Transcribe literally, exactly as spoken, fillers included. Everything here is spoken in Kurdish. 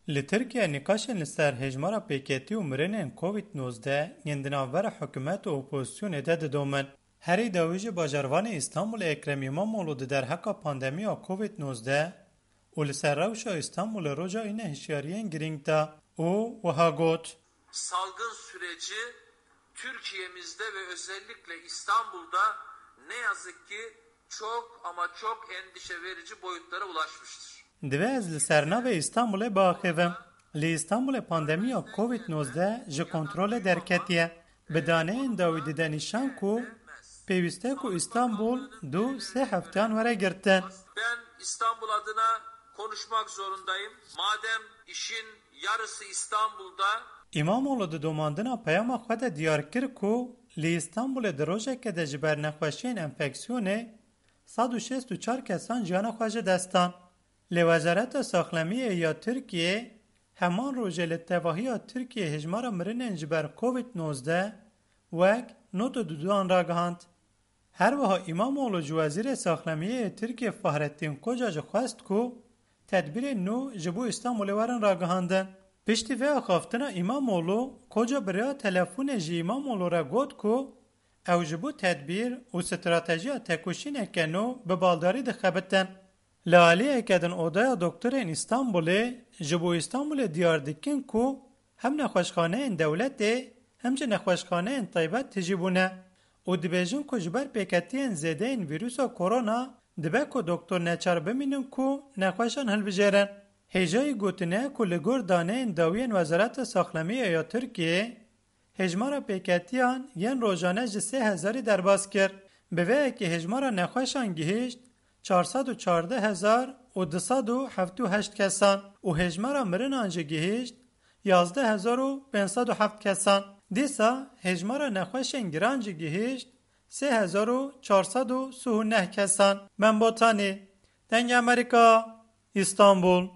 Li Tirkiye nîqaşên li ser hêjmara pêketî û mirinên Covid nozdeh yên di navbera hikûmet û opozisyonê de didomin. Herî dawî jî bajarvanê Îstanbulê Ekrem Îmamoğlu di derheqa pandemiya Covid nozdeh û li ser rewşa Îstanbulê roja îne hişyariyên girîng da û wiha got: Salgın süreci Türkiye'mizde ve özellikle İstanbul'da ne yazık ki çok ama çok endişe verici boyutlara ulaşmıştır. Divê ez li ser navê Îstanbulê biaxivim. Li Îstanbulê pandemiya Covid nozdeh ji kontrolê derketiye. Bi daneyên dawî dide nîşan ku pêwîst e ku Îstanbul du sê hefteyan were girtin. Ben İstanbul adına konuşmak zorundayım. Madem işin yarısı İstanbul'da. Îmamoğlu di domandina peyama xwe de diyar kir ku li Îstanbulê di rojeke de ji ber nexweşiyên enfeksiyonê sed û şêst û çar kesan jiyana xwe ji dest dan. Lê Wezareta Saxlemiyê ya Tirkiyê heman rojê li tevahiya Tirkiyê hejmara mirinên ji ber Covid nozdeh wek nod û duduan ragihand. Her wiha Îmamoğlu ji Wezîrê Saxlemiyê yê Tirkiyê Fahrettin Koca jî xwest ku tedbîrên nû ji bo Îstanbulê werin ragihandin. Piştî vê axaftina Îmamoğlu, Koca bi rêya telefonê ji Îmamoğlu re got ku ew ji bo tedbîr û stratejiya tekoşîneke nû bi baldarî dixebitin. Li aliyeke din Odaya Doktorên Îstanbulê ji bo Îstanbulê diyar dikin ku hem nexweşxaneyên dewletê hem jî nexweşxaneyên taybet tijî bûne û dibêjin ku ji ber pêketiyên zêde yên vîrusa korona dibe ku doktor neçar bimînin ku nexweşan hilbijêrin. Hêjayî gotine ku li gor daneyên dawiyên Wezareta Saxlemiyê ya Tirkiyê, hejmara pêketiyan yên rojane ji sê hezarî derbas kir. Bi vê yekê hejmara nexweşan gihişt çar sed û çardeh hezar û du sed û hevdî û heşt kesan û hejmara mirinan jî gihişt yazdeh hezar û pênc sed û heft kesan. Dîsa hejmara nexweşên giran jî gihişt sê hezar û çar sed û sî û neh kesan. Membotanî, Dengê Amerîka, Îstanbul.